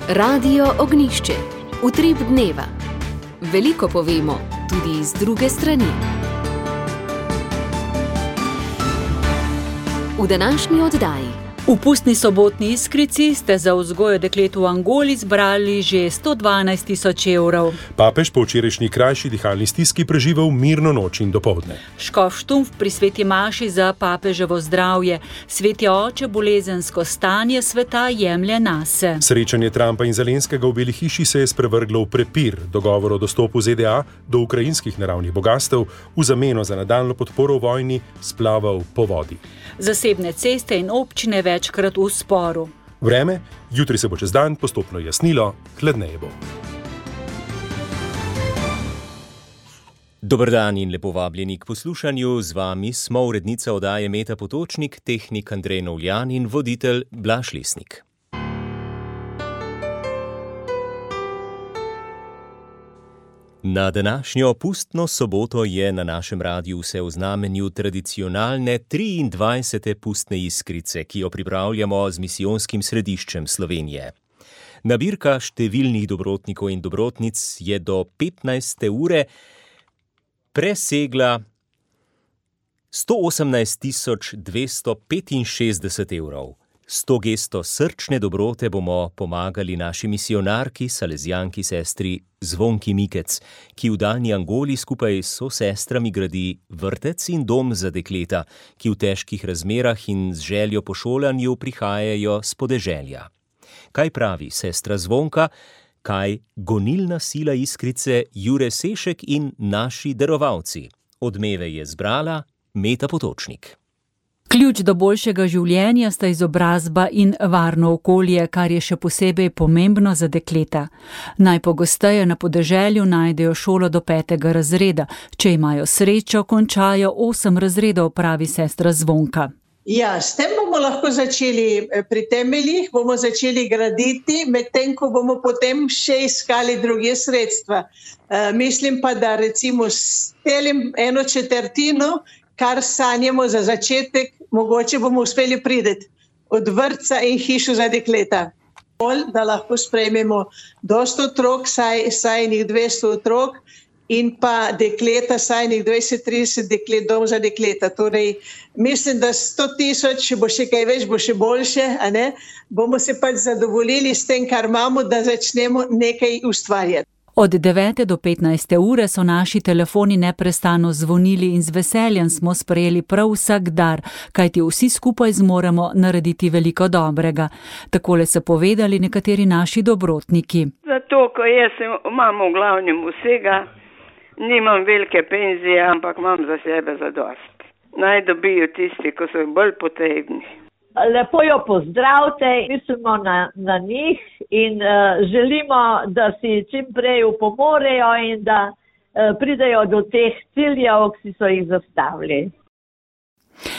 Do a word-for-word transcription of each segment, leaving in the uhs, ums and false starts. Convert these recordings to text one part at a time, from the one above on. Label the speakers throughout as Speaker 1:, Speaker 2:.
Speaker 1: Radio Ognjišče. Utrip dneva. Veliko povemo, tudi z druge strani. V današnji oddaji.
Speaker 2: V pustni sobotni Iskrici ste za vzgojo deklet v Angoli zbrali že sto dvanajst tisoč evrov.
Speaker 3: Papež po včerajšnji krajši dihalni stiski preživel mirno noč in dopoldne.
Speaker 2: Škof Štumpf pri sveti maši za papeževo zdravje. Sveti oče bolezensko stanje sveta jemlje nase.
Speaker 3: Srečanje Trumpa in Zelenskega v Beli hiši se je sprevrglo v prepir. Dogovor o dostopu Z D A do ukrajinskih naravnih bogastev v zameno za nadaljnjo podporo v vojni splaval po vodi.
Speaker 2: Zasebne ceste in občine večkrat v sporu.
Speaker 3: Vreme, jutri se bo čez dan postopno jasnilo, hladneje bo.
Speaker 4: Dober dan in lepo vabljeni k poslušanju. Z vami smo urednica oddaje Meta Potočnik, tehnik Andrej Novljan in voditelj Blaž Lesnik. Na današnjo pustno soboto je na našem radiju vse v znamenju tradicionalne triindvajsete pustne Iskrice, ki jo pripravljamo z misijonskim središčem Slovenije. Nabirka številnih dobrotnikov in dobrotnic je do petnajste ure presegla sto osemnajst tisoč dvesto petinšestdeset evrov. S to gesto srčne dobrote bomo pomagali naši misijonarki, salezijanki sestri Zvonki Mikec, ki v daljni Angoli skupaj s sosestrami gradi vrtec in dom za dekleta, ki v težkih razmerah in z željo po šolanju prihajajo s podeželja. Kaj pravi sestra Zvonka, kaj gonilna sila Iskrice Jure Sešek in naši darovalci? Odmeve je zbrala Meta Potočnik.
Speaker 2: Ključ do boljšega življenja sta izobrazba in varno okolje, kar je še posebej pomembno za dekleta. Najpogosteje na podeželju najdejo šolo do petega razreda. Če imajo srečo, končajo osem razredov, pravi sestra Zvonka.
Speaker 5: Ja, s tem bomo lahko začeli pri temeljih, bomo začeli graditi, medtem ko bomo potem še iskali druge sredstva. E, mislim pa, da recimo s telim eno četrtino, kar sanjamo za začetek, mogoče bomo uspeli priti od vrtca in hišo za dekleta. Da lahko sprejmemo dosto otrok, saj, saj njih dvesto otrok in pa dekleta, saj njih dvajset trideset deklet, dom za dekleta. Torej, mislim, da sto tisoč, če bo še kaj več, bo še boljše, a ne? Bomo se pač zadovoljili s tem, kar imamo, da začnemo nekaj ustvarjati.
Speaker 2: Od devete do petnajste ure so naši telefoni neprestano zvonili in z veseljem smo sprejeli prav vsak dar, kajti vsi skupaj zmoremo narediti veliko dobrega. Takole so povedali nekateri naši dobrotniki.
Speaker 6: Zato, ko jaz imam v glavnem vsega, nimam velike penzije, ampak imam za sebe zadost. Naj dobijo tisti, ko so bolj potrebni.
Speaker 7: Lepo jo pozdravite, mislimo na, na njih in uh, želimo, da si čim prej upomorejo in da uh, pridejo do teh ciljev, ki so jih zastavili.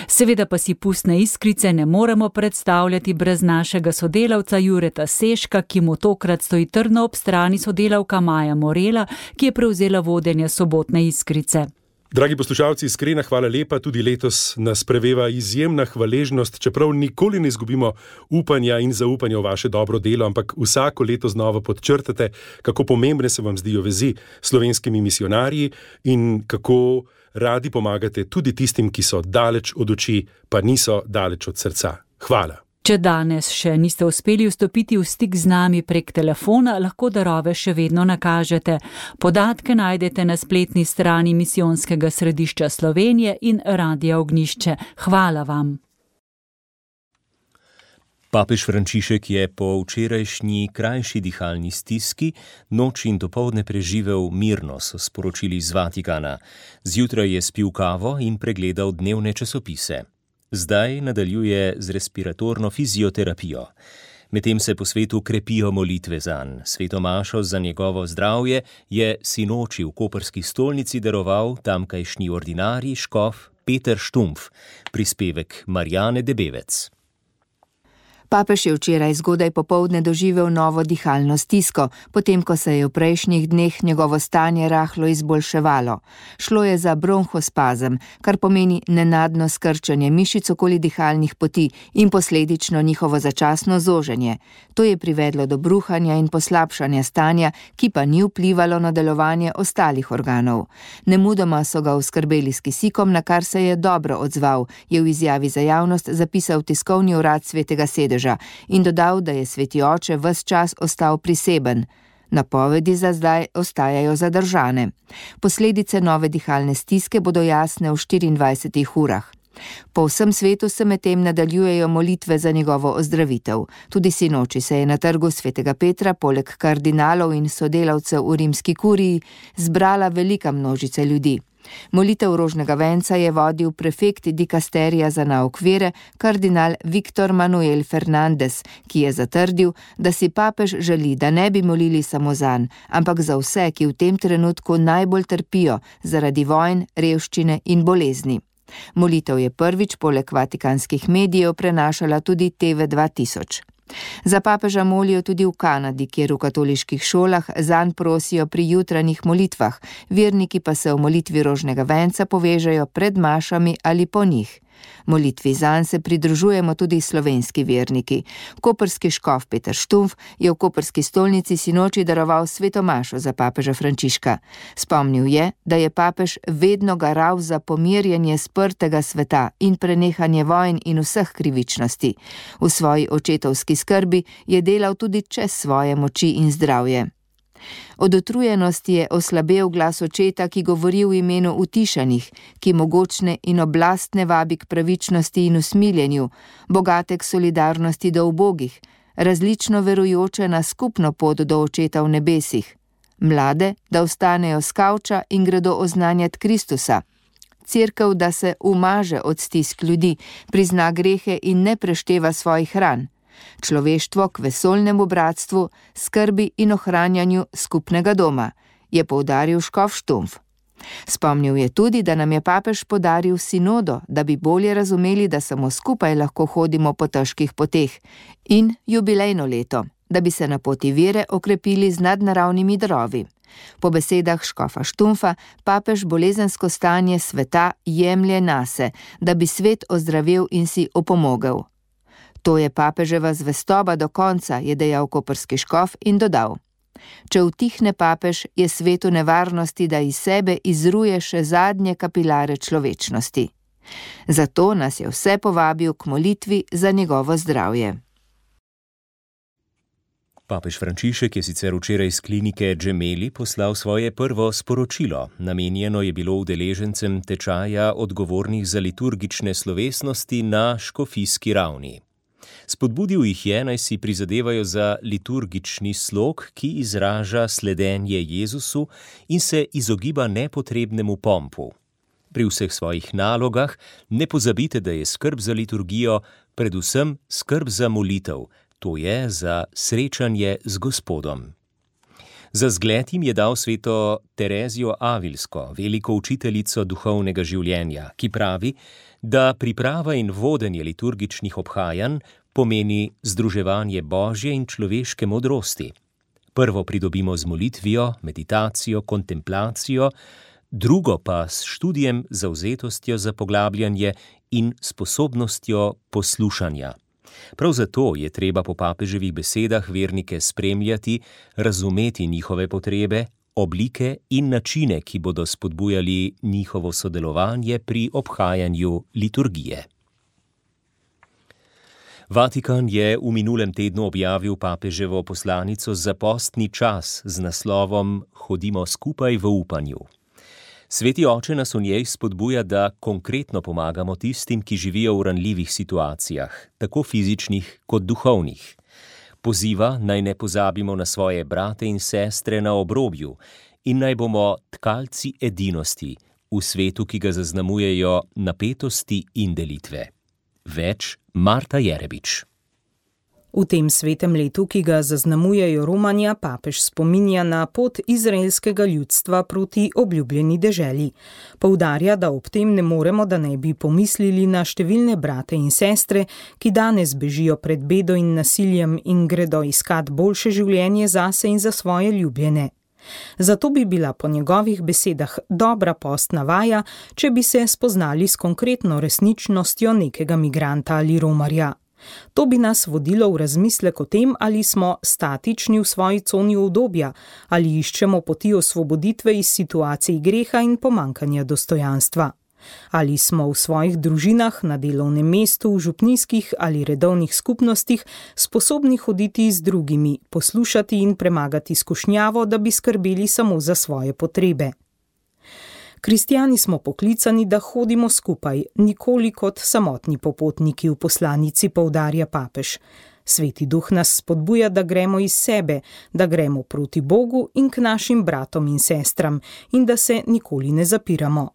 Speaker 2: Seveda pa si pustne Iskrice ne moremo predstavljati brez našega sodelavca Jureta Seška, ki mu tokrat stoji trdno ob strani sodelavka Maja Morela, ki je prevzela vodenje sobotne Iskrice.
Speaker 3: Dragi poslušalci, iskrena hvala lepa, tudi letos nas preveva izjemna hvaležnost, čeprav nikoli ne izgubimo upanja in zaupanja v vaše dobro delo, ampak vsako leto znova podčrtate, kako pomembne se vam zdijo vezi s slovenskimi misijonarji in kako radi pomagate tudi tistim, ki so daleč od oči, pa niso daleč od srca. Hvala.
Speaker 2: Če danes še niste uspeli vstopiti v stik z nami prek telefona, lahko darove še vedno nakažete. Podatke najdete na spletni strani Misijonskega središča Slovenije in Radia Ognjišče. Hvala vam.
Speaker 4: Papež Frančišek je po včerajšnji krajši dihalni stiski noč in dopoldne preživel mirno, so sporočili iz Vatikana. Zjutraj je spil kavo in pregledal dnevne časopise. Zdaj nadaljuje z respiratorno fizioterapijo. Medtem se po svetu krepijo molitve zanj. Sveto mašo za njegovo zdravje je sinoči v koprski stolnici daroval tamkajšnji ordinarij škof Peter Štumpf, prispevek Marjane Debevec.
Speaker 8: Papež je včeraj zgodaj popoldne doživel novo dihalno stisko, potem ko se je v prejšnjih dneh njegovo stanje rahlo izboljševalo. Šlo je za bronhospazem, kar pomeni nenadno skrčanje mišic okoli dihalnih poti in posledično njihovo začasno zoženje. To je privedlo do bruhanja in poslabšanja stanja, ki pa ni vplivalo na delovanje ostalih organov. Nemudoma so ga oskrbeli s kisikom, na kar se je dobro odzval, je v izjavi za javnost zapisal tiskovni urad Svetega sedeža in dodal, da je sveti oče ves čas ostal priseben. Napovedi za zdaj ostajajo zadržane. Posledice nove dihalne stiske bodo jasne v štiriindvajsetih urah. Po vsem svetu se medtem nadaljujejo molitve za njegovo ozdravitev. Tudi sinoči se je na trgu Svetega Petra poleg kardinalov in sodelavcev v rimski kuriji zbrala velika množica ljudi. Molitev rožnega venca je vodil prefekt dikasterija za nauk vere, kardinal Viktor Manuel Fernandez, ki je zatrdil, da si papež želi, da ne bi molili samo zanj, ampak za vse, ki v tem trenutku najbolj trpijo zaradi vojn, revščine in bolezni. Molitev je prvič poleg vatikanskih medijev prenašala tudi T V dva tisoč. Za papeža molijo tudi v Kanadi, kjer v katoliških šolah zanj prosijo pri jutranjih molitvah, verniki pa se v molitvi rožnega venca povežejo pred mašami ali po njih. Molitvi zanj se pridružujemo tudi slovenski verniki. Koprski škof Peter Štumf je v koprski stolnici sinoči daroval sveto mašo za papeža Frančiška. Spomnil je, da je papež vedno garal za pomirjanje sprtega sveta in prenehanje vojn in vseh krivičnosti. V svoji očetovski skrbi je delal tudi čez svoje moči in zdravje. Od utrujenosti je oslabel glas očeta, ki govori v imenu utišanih, ki mogočne in oblastne vabi k pravičnosti in usmiljenju, bogate k solidarnosti do ubogih, različno verujoče na skupno pot do očeta v nebesih, mlade, da vstanejo s kavča in gredo oznanjati Kristusa, cerkev, da se umaže od stisk ljudi, prizna grehe in ne prešteva svojih ran, človeštvo k vesoljnemu bratstvu, skrbi in ohranjanju skupnega doma, je poudaril škof Štumf. Spomnil je tudi, da nam je papež podaril sinodo, da bi bolje razumeli, da samo skupaj lahko hodimo po težkih poteh, in jubilejno leto, da bi se na poti vere okrepili z nadnaravnimi darovi. Po besedah škofa Štumfa, papež bolezensko stanje sveta jemlje nase, da bi svet ozdravel in si opomogel. To je papeževa zvestoba do konca, je dejal koprski škof in dodal. Če utihne papež, je svet v nevarnosti, da iz sebe izruje še zadnje kapilare človečnosti. Zato nas je vse povabil k molitvi za njegovo zdravje.
Speaker 4: Papež Frančišek je sicer včeraj iz klinike Gemelli poslal svoje prvo sporočilo. Namenjeno je bilo udeležencem tečaja odgovornih za liturgične slovesnosti na škofijski ravni. Spodbudil jih je, naj si prizadevajo za liturgični slog, ki izraža sledenje Jezusu in se izogiba nepotrebnemu pompu. Pri vseh svojih nalogah ne pozabite, da je skrb za liturgijo predvsem skrb za molitev, to je za srečanje z Gospodom. Za zgled jim je dal sveto Terezijo Avilsko, veliko učiteljico duhovnega življenja, ki pravi, da priprava in vodenje liturgičnih obhajanj pomeni združevanje božje in človeške modrosti. Prvo pridobimo z molitvijo, meditacijo, kontemplacijo, drugo pa s študijem, zavzetostjo za poglabljanje in sposobnostjo poslušanja. Prav zato je treba po papeževih besedah vernike spremljati, razumeti njihove potrebe, oblike in načine, ki bodo spodbujali njihovo sodelovanje pri obhajanju liturgije. Vatikan je v minulem tednu objavil papeževo poslanico za postni čas z naslovom Hodimo skupaj v upanju. Sveti oče nas v njej spodbuja, da konkretno pomagamo tistim, ki živijo v ranljivih situacijah, tako fizičnih kot duhovnih. Poziva, naj ne pozabimo na svoje brate in sestre na obrobju in naj bomo tkalci edinosti v svetu, ki ga zaznamujejo napetosti in delitve. Več Marta Jerebič.
Speaker 9: V tem svetem letu, ki ga zaznamujejo romanja, papež spominja na pot izraelskega ljudstva proti obljubljeni deželi. Poudarja, da ob tem ne moremo, da ne bi pomislili na številne brate in sestre, ki danes bežijo pred bedo in nasiljem in gredo iskat boljše življenje zase in za svoje ljubljene. Zato bi bila po njegovih besedah dobra postna vaja, če bi se spoznali s konkretno resničnostjo nekega migranta ali romarja. To bi nas vodilo v razmislek o tem, ali smo statični v svoji coni udobja, ali iščemo poti osvoboditve iz situacij greha in pomankanja dostojanstva. Ali smo v svojih družinah, na delovnem mestu, v župnijskih ali redovnih skupnostih sposobni hoditi z drugimi, poslušati in premagati skušnjavo, da bi skrbeli samo za svoje potrebe. Kristjani smo poklicani, da hodimo skupaj, nikoli kot samotni popotniki, v poslanici poudarja papež. Sveti duh nas spodbuja, da gremo iz sebe, da gremo proti Bogu in k našim bratom in sestram in da se nikoli ne zapiramo.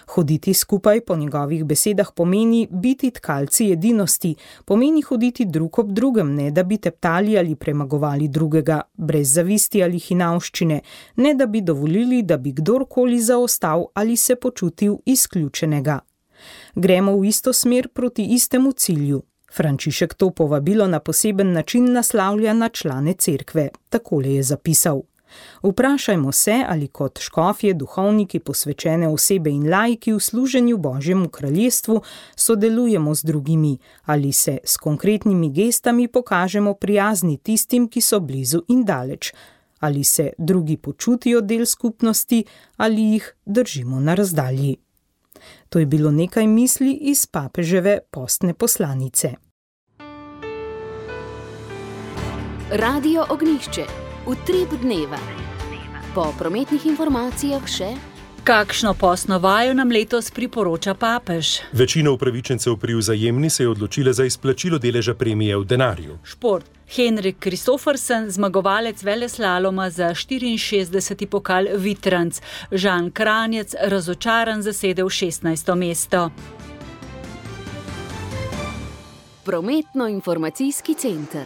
Speaker 9: Hoditi skupaj po njegovih besedah pomeni biti tkalci edinosti, pomeni hoditi drug ob drugem, ne da bi teptali ali premagovali drugega, brez zavisti ali hinavščine, ne da bi dovolili, da bi kdorkoli zaostal ali se počutil izključenega. Gremo v isto smer proti istemu cilju. Frančišek to povabilo na poseben način naslavlja na člane cerkve, takole je zapisal. Vprašajmo se, ali kot škofje, duhovniki, posvečene osebe in laiki v služenju Božjemu kraljestvu sodelujemo z drugimi, ali se s konkretnimi gestami pokažemo prijazni tistim, ki so blizu in daleč, ali se drugi počutijo del skupnosti, ali jih držimo na razdalji. To je bilo nekaj misli iz papeževe postne poslanice.
Speaker 1: Radio Ognjišče. Utrip dneva. Po prometnih informacijah še...
Speaker 2: Kakšno postno vajo nam letos priporoča papež?
Speaker 3: Večina upravičencev pri Vzajemni se je odločila za izplačilo deleža premije v denarju.
Speaker 2: Šport. Henrik Kristoffersen, zmagovalec veleslaloma za štiriinšestdeseti pokal Vitranc. Žan Kranjec, razočaran, zasedel šestnajsto mesto.
Speaker 1: Prometno-informacijski center.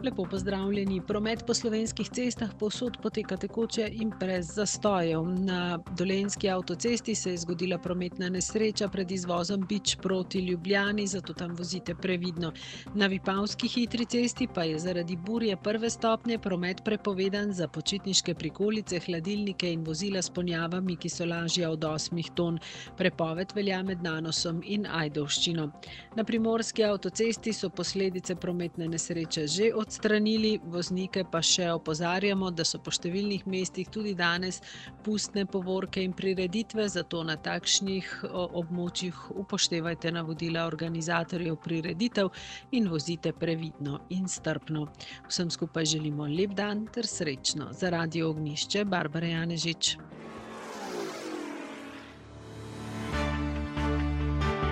Speaker 10: Lepo pozdravljeni. Promet po slovenskih cestah povsod poteka tekoče in brez zastojev. Na Dolenjski avtocesti se je zgodila prometna nesreča pred izvozom Bič proti Ljubljani, zato tam vozite previdno. Na Vipavski hitri cesti pa je zaradi burje prve stopnje promet prepovedan za počitniške prikolice, hladilnike in vozila s ponjavami, ki so lažja od osmih ton. Prepoved velja med Nanosom in Ajdovščino. Na Primorski avtocesti so posledice prometne nesreče že odstranjene. Stranili, voznike pa še opozarjamo, da so po številnih mestih tudi danes pustne povorke in prireditve, zato na takšnih območjih upoštevajte navodila organizatorjev prireditev in vozite previdno in strpno. Vsem skupaj želimo lep dan ter srečno. Za Radio Ognjišče, Barbara Janežič.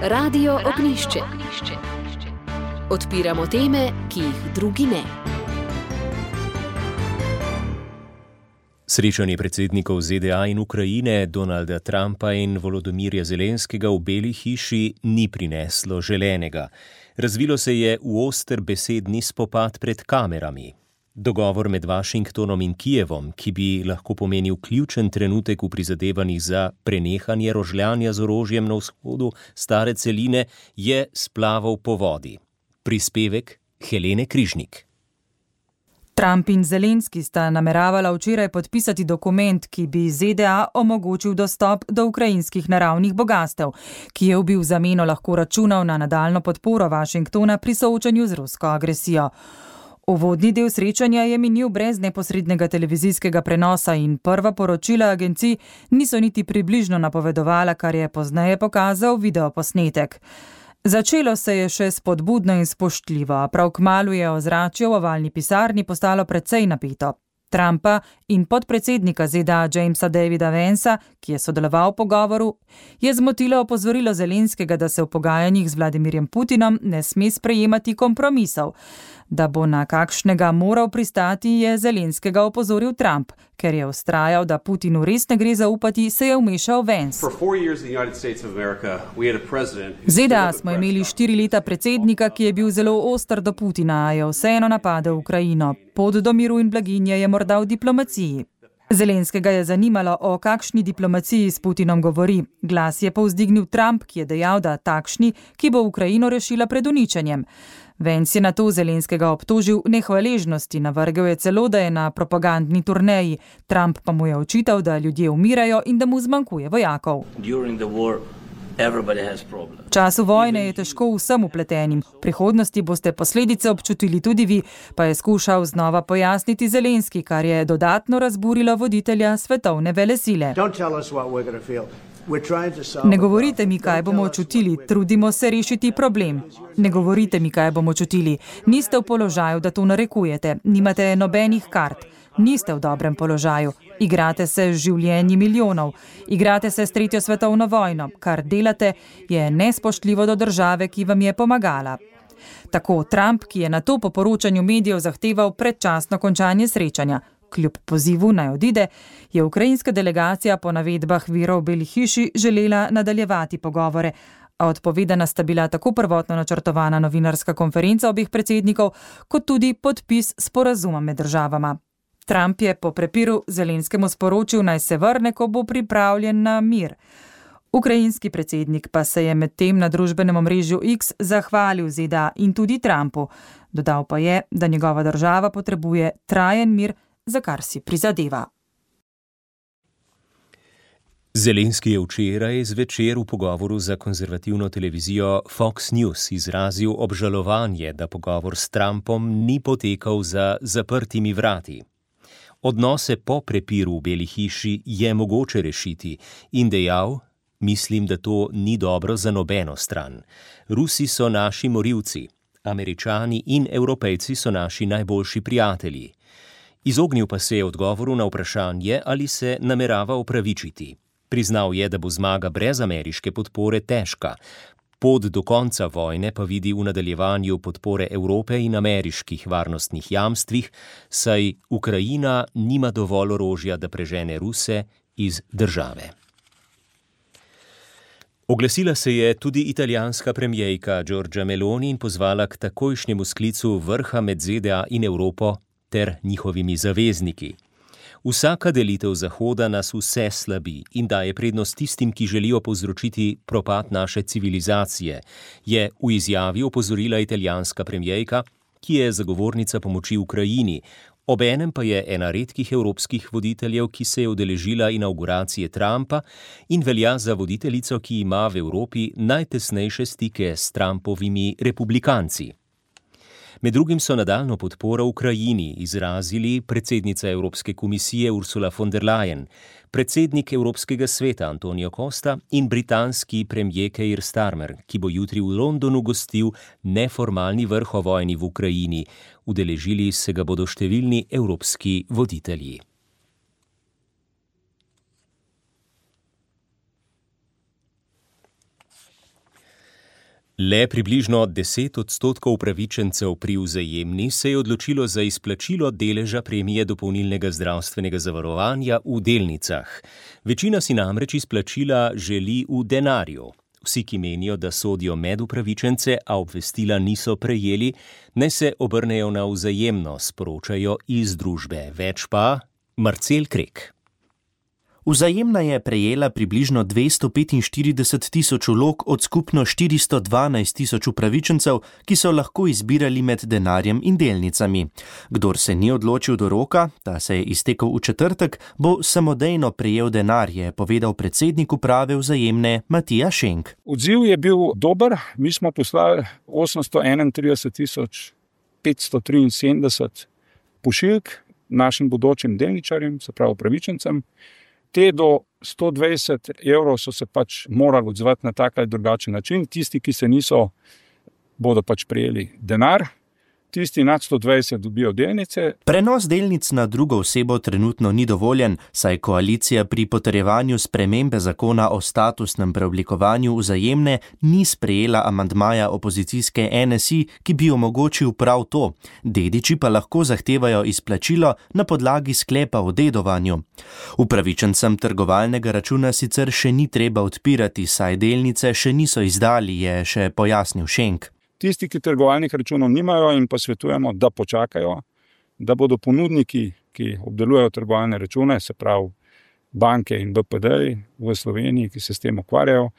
Speaker 1: Radio Ognjišče. Odpiramo teme, ki jih drugi ne.
Speaker 4: Srečanje predsednikov Z D A in Ukrajine, Donalda Trumpa in Volodomirja Zelenskega v Beli hiši ni prineslo želenega. Razvilo se je v oster besedni spopad pred kamerami. Dogovor med Washingtonom in Kijevom, ki bi lahko pomenil ključen trenutek v prizadevanjih za prenehanje rožljanja z orožjem na vzhodu stare celine, je splaval po vodi. Prispevek Helene Križnik.
Speaker 11: Trump in Zelenski sta nameravala včeraj podpisati dokument, ki bi Z D A omogočil dostop do ukrajinskih naravnih bogastev, ki je v zameno lahko računal na nadaljno podporo Washingtona pri soočanju z rusko agresijo. Uvodni del srečanja je minil brez neposrednega televizijskega prenosa in prva poročila agencij niso niti približno napovedovala, kar je pozneje pokazal videoposnetek. Začelo se je še spodbudno in spoštljivo, prav kmalu je ozračje v ovalni pisarni postalo precej napeto. Trumpa in podpredsednika Z D A Jamesa Davida Vansa, ki je sodeloval v pogovoru, je zmotilo opozorilo Zelenskega, da se v pogajanjih z Vladimirjem Putinom ne sme sprejemati kompromisov. Da bo na kakšnega moral pristati, je Zelenskega opozoril Trump, ker je vztrajal, da Putinu res ne gre zaupati, se je vmešal Vance. V Z D A smo imeli štiri leta predsednika, ki je bil zelo oster do Putina, a je vseeno napadel Ukrajino. Pot do miru in blaginje je morda v diplomaciji. Zelenskega je zanimalo, o kakšni diplomaciji s Putinom govori. Glas je povzdignil Trump, ki je dejal, da takšni, ki bo Ukrajino rešila pred uničenjem. Vance je na to Zelenskega obtožil nehvaležnosti, navrgel je celo, da je na propagandni turneji. Trump pa mu je očital, da ljudje umirajo in da mu zmanjkuje vojakov. V času vojne je težko vsem upletenim. V prihodnosti boste posledice občutili tudi vi, pa je skušal znova pojasniti Zelenski, kar je dodatno razburilo voditelja svetovne velesile. Ne govorite mi, kaj bomo čutili, trudimo se rešiti problem. Ne govorite mi, kaj bomo čutili. Niste v položaju, da to narekujete. Nimate nobenih kart. Niste v dobrem položaju. Igrate se z življenji milijonov. Igrate se s tretjo svetovno vojno. Kar delate, je nespoštljivo do države, ki vam je pomagala. Tako Trump, ki je na to po poročanju medijev zahteval predčasno končanje srečanja. Kljub pozivu naj odide, je ukrajinska delegacija po navedbah virov v Beli hiši želela nadaljevati pogovore, a odpovedana sta bila tako prvotno načrtovana novinarska konferenca obeh predsednikov, kot tudi podpis sporazuma med državama. Trump je po prepiru Zelenskemu sporočil, naj se vrne, ko bo pripravljen na mir. Ukrajinski predsednik pa se je medtem na družbenem omrežju X zahvalil Z D A in tudi Trumpu. Dodal pa je, da njegova država potrebuje trajen mir, za kar si prizadeva.
Speaker 4: Zelenski je včeraj zvečer v pogovoru za konzervativno televizijo Fox News izrazil obžalovanje, da pogovor s Trumpom ni potekal za zaprtimi vrati. Odnose po prepiru v Beli hiši je mogoče rešiti in dejal, mislim, da to ni dobro za nobeno stran. Rusi so naši morilci, Američani in Evropejci so naši najboljši prijatelji. Izognil pa se je odgovoru na vprašanje, ali se namerava opravičiti. Priznal je, da bo zmaga brez ameriške podpore težka. Pot do konca vojne pa vidi v nadaljevanju podpore Evrope in ameriških varnostnih jamstvih, saj Ukrajina nima dovolj orožja, da prežene Ruse iz države. Oglasila se je tudi italijanska premijejka Giorgia Meloni in pozvala k takojšnjemu sklicu vrha med Z D A in Evropo ter njihovimi zavezniki. Vsaka delitev Zahoda nas vse slabi in daje prednost tistim, ki želijo povzročiti propad naše civilizacije, je v izjavi opozorila italijanska premijejka, ki je zagovornica pomoči Ukrajini. Obenem pa je ena redkih evropskih voditeljev, ki se je udeležila inauguracije Trumpa in velja za voditeljico, ki ima v Evropi najtesnejše stike s Trumpovimi republikanci. Med drugim so nadaljnjo podporo Ukrajini izrazili predsednica Evropske komisije Ursula von der Leyen, predsednik Evropskega sveta Antonio Costa in britanski premier Keir Starmer, ki bo jutri v Londonu gostil neformalni vrh o vojni v Ukrajini. Udeležili se ga bodo številni evropski voditelji. Le približno deset odstotkov upravičencev pri Vzajemni se je odločilo za izplačilo deleža premije dopolnilnega zdravstvenega zavarovanja v delnicah. Večina si namreč izplačila želi v denarju. Vsi, ki menijo, da sodijo med upravičence, a obvestila niso prejeli, naj se obrnejo na Vzajemno, sporočajo iz družbe. Več pa Marcel Krek.
Speaker 12: Vzajemna je prejela približno dvesto petinštirideset tisoč vlog od skupno štiristo dvanajst tisoč upravičencev, ki so lahko izbirali med denarjem in delnicami. Kdor se ni odločil do roka, ta se je iztekel v četrtek, bo samodejno prejel denar, je povedal predsednik uprave Vzajemne Matija Šenk.
Speaker 13: Odziv je bil dober, mi smo poslali osemsto enaintrideset tisoč petsto triinsedemdeset pošiljk našim bodočim delničarjem, se pravi upravičencem. Te do sto dvajset evrov so se pač morali odzvati na tak ali drugačen način. Tisti, ki se niso, bodo pač prijeli denar. tisti nad sto dvajset dobijo delnice.
Speaker 12: Prenos delnic na drugo osebo trenutno ni dovoljen, saj koalicija pri potrjevanju spremembe zakona o statusnem preoblikovanju Vzajemne ni sprejela amandmaja opozicijske N S I, ki bi omogočil prav to. Dediči pa lahko zahtevajo izplačilo na podlagi sklepa o dedovanju. Upravičencem trgovalnega računa sicer še ni treba odpirati, saj delnice še niso izdali, je še pojasnil Šenk.
Speaker 13: Tisti, ki trgovalnih računov nimajo, in pa svetujemo, da počakajo, da bodo ponudniki, ki obdelujejo trgovalne račune, se pravi banke in B P D-ji v Sloveniji, ki se s tem ukvarjajo,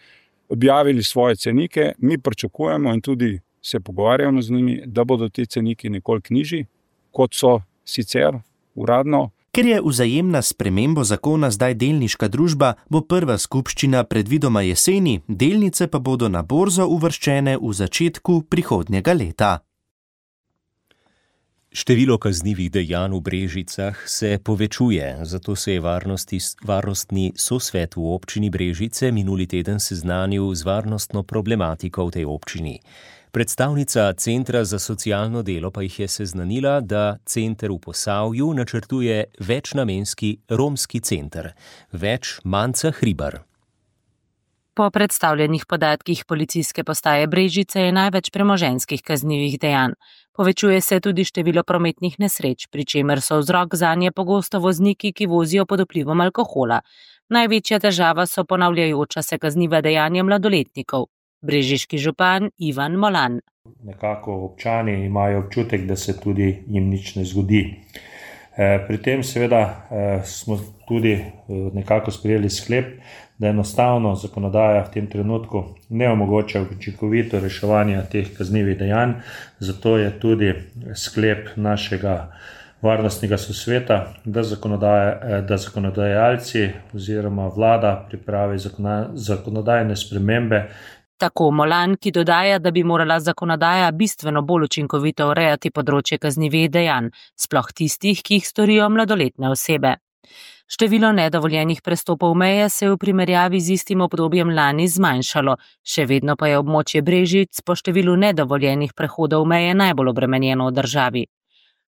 Speaker 13: objavili svoje cenike. Mi pričakujemo in tudi se pogovarjamo z njimi, da bodo ti ceniki nekoliko nižji, kot so sicer uradno.
Speaker 12: Ker je Vzajemna spremembo zakona zdaj delniška družba, bo prva skupščina predvidoma jeseni, delnice pa bodo na borzo uvrščene v začetku prihodnjega leta.
Speaker 4: Število kaznivih dejanj v Brežicah se povečuje, zato se je varnostni sosvet v občini Brežice minuli teden seznanil z varnostno problematiko v tej občini. Predstavnica Centra za socialno delo pa jih je seznanila, da center v Posavju načrtuje večnamenski romski center. Več Manca Hribar.
Speaker 14: Po predstavljenih podatkih policijske postaje Brežice je največ premoženjskih kaznivih dejanj. Povečuje se tudi število prometnih nesreč, pri čemer so vzrok zanje pogosto vozniki, ki vozijo pod vplivom alkohola. Največja težava so ponavljajoča se kazniva dejanja mladoletnikov. Brežiški župan Ivan Molan.
Speaker 15: Nekako občani imajo občutek, da se tudi jim nič ne zgodi. Pri tem seveda smo tudi nekako sprejeli sklep, da enostavno zakonodaja v tem trenutku ne omogoča učinkovito reševanje teh kaznivih dejanj, zato je tudi sklep našega varnostnega sosveta, da, da zakonodajalci oziroma vlada pripravi zakonodajne spremembe.
Speaker 14: Tako Molan, ki dodaja, da bi morala zakonodaja bistveno bolj učinkovito urejati področje kaznivih dejanj, sploh tistih, ki jih storijo mladoletne osebe. Število nedovoljenih prestopov meje se je v primerjavi z istim obdobjem lani zmanjšalo, še vedno pa je območje Brežic po številu nedovoljenih prehodov meje najbolj obremenjeno v državi.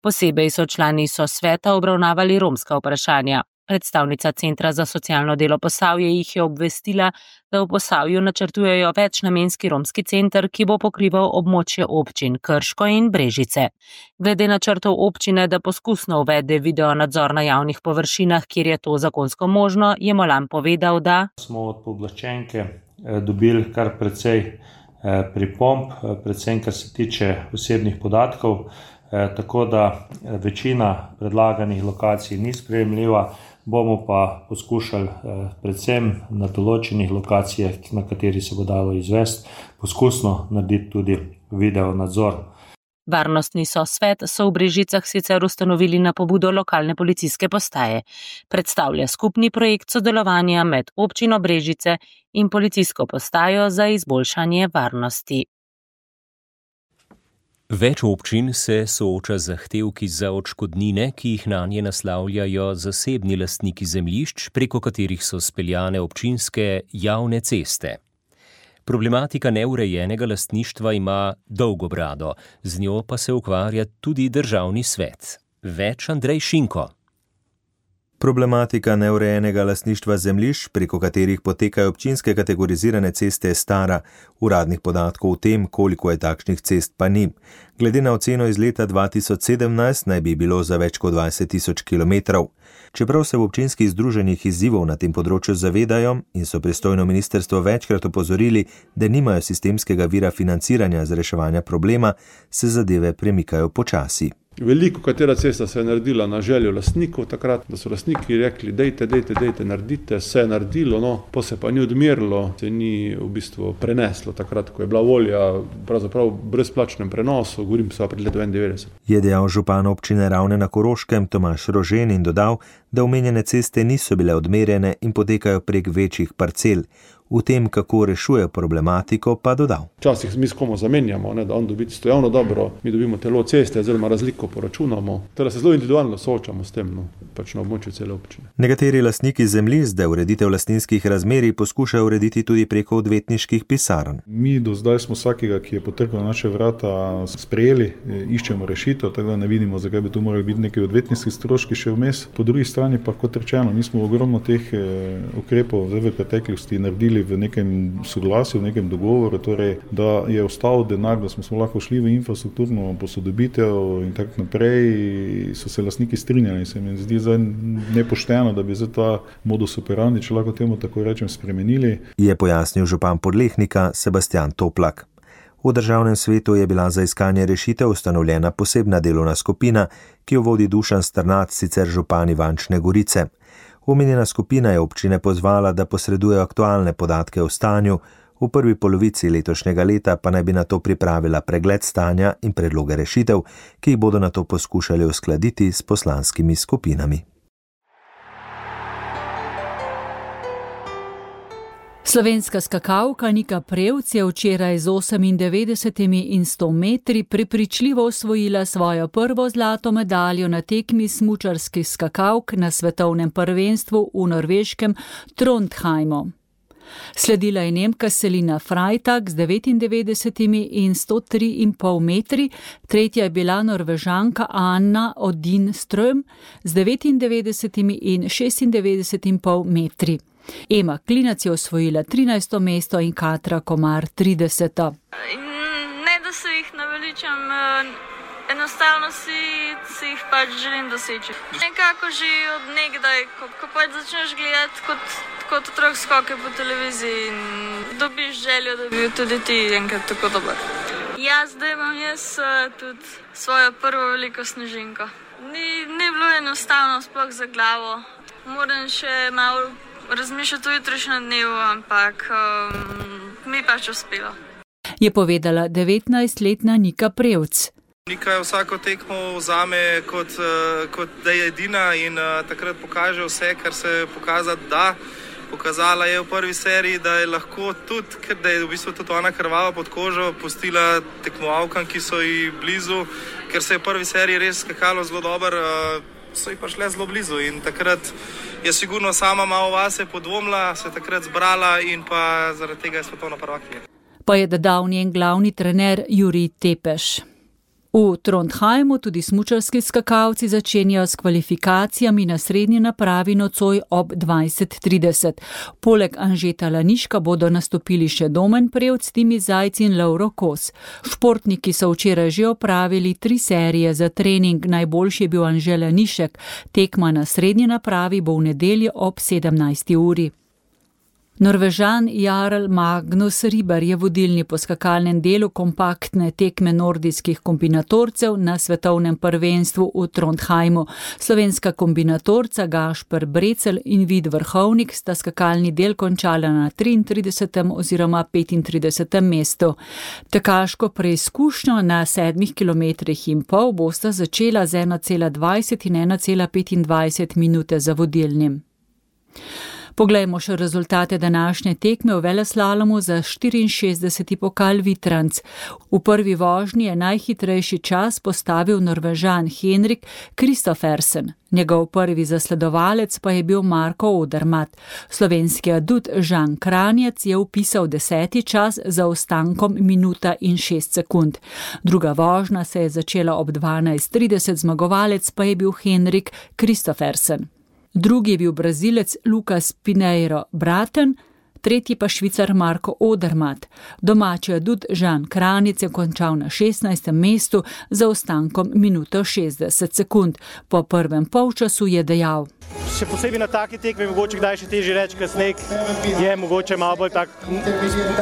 Speaker 14: Posebej so člani sosveta obravnavali romska vprašanja. Predstavnica Centra za socialno delo Posavje jih je obvestila, da v Posavju načrtujejo večnamenski romski center, ki bo pokrival območje občin Krško in Brežice. Glede načrtov občine, da poskusno uvede video nadzor na javnih površinah, kjer je to zakonsko možno, je Molan povedal, da
Speaker 15: smo od pooblaščenke dobili kar precej pripomb, predvsem kar se tiče osebnih podatkov, tako da večina predlaganih lokacij ni sprejemljiva. Bomo pa poskušali predvsem na določenih lokacijah, na kateri se bo dalo izvesti, poskusno narediti tudi video nadzor.
Speaker 14: Varnostni sosvet so v Brežicah sicer ustanovili na pobudo lokalne policijske postaje. Predstavlja skupni projekt sodelovanja med občino Brežice in policijsko postajo za izboljšanje varnosti.
Speaker 4: Več občin se sooča z zahtevki za odškodnine, ki jih nanje naslavljajo zasebni lastniki zemljišč, preko katerih so speljane občinske javne ceste. Problematika neurejenega lastništva ima dolgo brado, z njo pa se ukvarja tudi državni svet. Več Andrej Šinko.
Speaker 16: Problematika neurejenega lastništva zemljišč, preko katerih potekajo občinske kategorizirane ceste, je stara. Uradnih podatkov o tem, koliko je takšnih cest, pa ni. Glede na oceno iz leta dva tisoč sedemnajst naj bi bilo za več kot dvajset tisoč kilometrov. Čeprav se v občinskih združenjih izzivov na tem področju zavedajo in so pristojno ministrstvo večkrat opozorili, da nimajo sistemskega vira financiranja za reševanje problema, se zadeve premikajo počasi.
Speaker 17: Veliko katera cesta se je naredila na željo lastnikov takrat, da so lastniki rekli, dejte, dejte, dejte, naredite, se je naredilo, no, pa se pa ni odmerilo, se ni v bistvu preneslo takrat, ko je bila volja, pravzaprav brezplačnem prenosu, govorim se pred leto enaindevetdeset.
Speaker 16: Je dejal župan občine Ravne na Koroškem Tomaž Rožen in dodal, da omenjene ceste niso bile odmerjene in potekajo prek večjih parcel. V tem, kako rešuje problematiko, pa dodal.
Speaker 17: Včasih mi s komu zamenjamo, ne, da on dobi stojavno dobro, mi dobimo telo ceste, oziroma razliko poračunamo. Teda se zelo individualno soočamo s tem, no, pač na območju cele občine.
Speaker 16: Nekateri lastniki zemljišč, da ureditev lastninskih razmerij poskušajo urediti tudi preko odvetniških pisarn.
Speaker 18: Mi do zdaj smo vsakega, ki je potrkal na naše vrata, sprejeli, iščemo rešitev, tako da ne vidimo, zakaj bi tu morali biti neki odvetniški stroški še vmes. Po drugi strani pa, kot rečeno, mi smo ogromno teh ukrepov zdaj v preteklosti naredili v nekem soglasju, v nekem dogovoru, torej, da je ostal denar, da smo lahko šli v infrastrukturno posodobitev in tako naprej, so se lastniki strinjali. Se mi zdi zdaj nepošteno, da bi zdaj ta modus operandi, če lahko temu tako rečem, spremenili.
Speaker 16: Je pojasnil župan Podlehnika Sebastian Toplak. V državnem svetu je bila za iskanje rešitev ustanovljena posebna delovna skupina, ki jo vodi Dušan Strnad, sicer župan Ivančne Gorice. Omenjena skupina je občine pozvala, da posredujejo aktualne podatke o stanju, v prvi polovici letošnjega leta pa naj bi na to pripravila pregled stanja in predloge rešitev, ki jih bodo na to poskušali uskladiti s poslanskimi skupinami.
Speaker 2: Slovenska skakalka Nika Prevc je včeraj z osemindevetdesetimi in sto metri prepričljivo osvojila svojo prvo zlato medaljo na tekmi smučarskih skakalk na svetovnem prvenstvu v norveškem Trondheimu. Sledila je Nemka Selina Freitag z devetindevetdesetimi in sto tri in pol metri, tretja je bila Norvežanka Anna Odin Ström z devetindevetdesetimi in šestindevetdeset in pol metri. Ema Klinac je osvojila trinajsto mesto in Katra Komar trideseto.
Speaker 19: Ne, da se jih naveličam, enostavno si, si jih pač želim doseči. Nekako že od nekdaj, ko, ko pač začneš gledati kot, kot otrok skoke po televiziji in dobiš željo, da bi tudi ti enkrat tako dober. Ja, zdaj imam jaz tudi svojo prvo veliko snežinko. Ni, ni bilo enostavno sploh za glavo. Moram še malo razmišljati o jutrišnjem dnevu, ampak um, mi pač uspelo.
Speaker 2: Je povedala devetnajstletna Nika Prevc.
Speaker 20: Nika je vsako tekmo vzame kot, kot da je edina in uh, takrat pokaže vse, kar se je pokazati da. Pokazala je v prvi seriji, da je lahko tudi, ker da je v bistvu tudi ona krvava pod kožo, pustila tekmovalkam, ki so ji blizu, ker se je v prvi seriji res skakalo zelo dobro. Uh, so jih pa šle zelo blizu in takrat je sigurno sama malo vase podvomila, se takrat zbrala in pa zaradi tega je svetovna prvakinja.
Speaker 2: Pa je dodal njen glavni trener Jurij Tepeš. V Trondheimu tudi smučarski skakalci začenjajo s kvalifikacijami na srednji napravi nocoj ob dvajset trideset. Poleg Anžeta Laniška bodo nastopili še Domen Prevc, Timi Zajc in Lovro Kos. Športniki so včeraj že opravili tri serije za trening, najboljši je bil Anže Lanišek. Tekma na srednji napravi bo v nedeljo ob sedemnajsti uri. Norvežan Jarl Magnus Riber je vodilni po skakalnem delu kompaktne tekme nordijskih kombinatorcev na svetovnem prvenstvu v Trondheimu. Slovenska kombinatorca Gašper Brecelj in Vid Vrhovnik sta skakalni del končala na triintridesetem oziroma petintridesetem mestu. Tekaško preizkušnjo na sedmih kilometrih in pol bosta začela z ena cela dvajset in ena cela petindvajset minute za vodilnim. Poglejmo še rezultate današnje tekme v veleslalomu za štiriinšestdeseti pokal Vitranc. V prvi vožnji je najhitrejši čas postavil Norvežan Henrik Kristoffersen. Njegov prvi zasledovalec pa je bil Marko Odermatt. Slovenski adut Žan Kranjec je vpisal deseti čas za ostankom minuta in šest sekund. Druga vožnja se je začela ob dvanajst trideset, zmagovalec pa je bil Henrik Kristoffersen. Drugi je bil Brazilec Lucas Pinheiro Braten, tretji pa Švicar Marko Odermatt. Domači adut Žan Kranjec je končal na šestnajstem mestu za ostankom minuto šestdeset sekund. Po prvem polčasu je dejal:
Speaker 21: Še posebej na taki tekmi mogoče kdaj še težje reči, ker sneg je mogoče malo bolj tak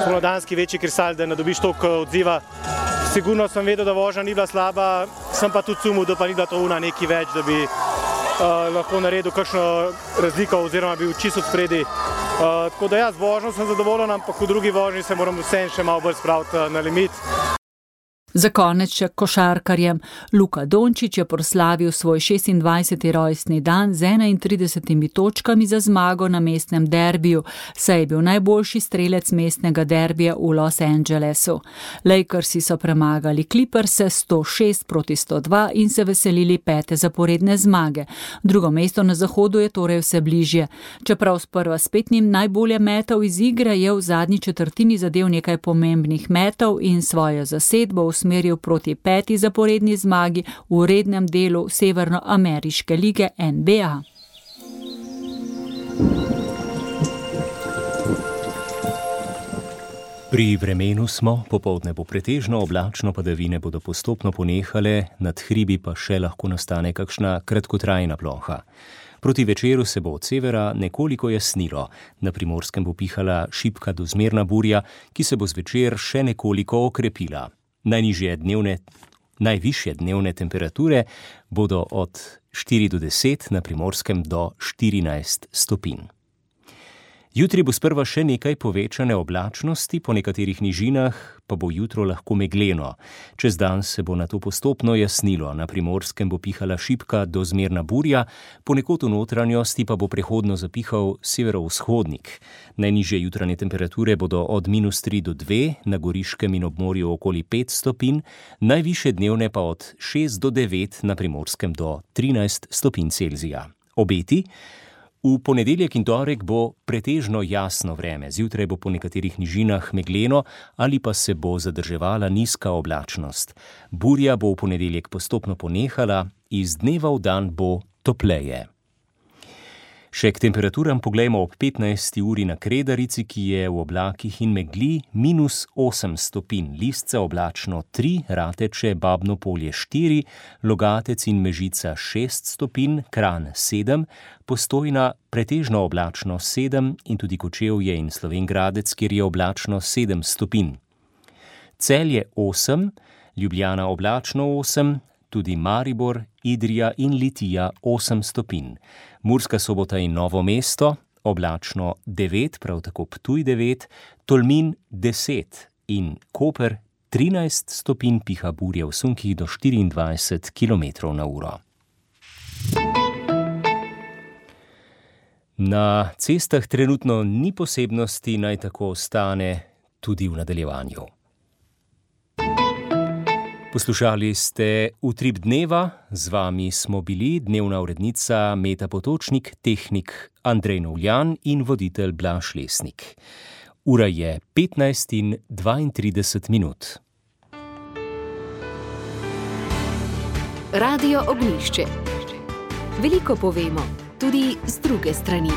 Speaker 21: spomladanski večji kristal, da ne dobiš toliko odziva. Sigurno sem vedel, da vožnja ni bila slaba, sem pa tudi sumil, da pa ni bila to una neki več, da bi Uh, lahko naredil kakšno razliko oziroma bil čisto spredi. Uh, tako da ja, z vožnjo sem zadovoljen, ampak v drugi vožnji se moram vsem še malo bolj spraviti uh, na limit.
Speaker 2: Za konec še košarkarjem. Luka Dončić je proslavil svoj šestindvajseti rojstni dan z enaintridesetimi točkami za zmago na mestnem derbiju, saj je bil najboljši strelec mestnega derbija v Los Angelesu. Lakersi so premagali Clipperse sto šest proti sto dva in se veselili pete zaporedne zmage. Drugo mesto na zahodu je torej vse bližje. Čeprav sprva spet nim najbolje metal iz igre, je v zadnji četrtini zadel nekaj pomembnih metov in svojo zasedbo usmeril proti peti zaporedni zmagi v rednem delu Severnoameriške lige N B A.
Speaker 4: Pri vremenu smo, popoldne bo pretežno oblačno, padavine bodo postopno ponehale, nad hribi pa še lahko nastane kakšna kratkotrajna ploha. Proti večeru se bo od severa nekoliko jasnilo, na Primorskem bo pihala šibka do zmerna burja, ki se bo zvečer še nekoliko okrepila. Najnižje dnevne, najvišje dnevne temperature bodo od štiri do deset, na Primorskem do štirinajst stopinj. Jutri bo sprva še nekaj povečane oblačnosti, po nekaterih nižinah pa bo jutro lahko megleno. Čez dan se bo nato postopno jasnilo, na Primorskem bo pihala šibka do zmerna burja, ponekod v notranjosti pa bo prehodno zapihal severovzhodnik. Najnižje jutranje temperature bodo od minus tri do dve, na Goriškem in ob morju okoli pet stopinj, najvišje dnevne pa od šest do devet, na Primorskem do trinajst stopinj Celzija. Obeti? V ponedeljek in torek bo pretežno jasno vreme, zjutraj bo po nekaterih nižinah megleno ali pa se bo zadrževala nizka oblačnost. Burja bo v ponedeljek postopno ponehala, iz dneva v dan bo topleje. Še k temperaturam poglejmo ob petnajsti uri na Kredarici, ki je v oblakih in megli minus osem stopinj, Listce oblačno tri, Rateče, Babno Polje štiri, Logatec in Mežica šest stopinj, Kranj sedem, Postojna pretežno oblačno sedem in tudi Kočevje in Slovenj Gradec, kjer je oblačno sedem stopinj. Celje osem, Ljubljana oblačno osem, tudi Maribor, Idrija in Litija osem stopinj. Murska Sobota in Novo mesto, oblačno devet, prav tako Ptuj devet, Tolmin deset in Koper trinajst stopinj, piha burja v sunkih do štiriindvajset kilometrov na uro. Na cestah trenutno ni posebnosti, naj tako ostane tudi v nadaljevanju. Poslušali ste Utrip dneva, z vami smo bili dnevna urednica Meta Potočnik, tehnik Andrej Novljan in voditelj Blaž Lesnik. Ura je petnajst in dvaintrideset minut.
Speaker 1: Radio Ognjišče. Veliko povemo, tudi z druge strani.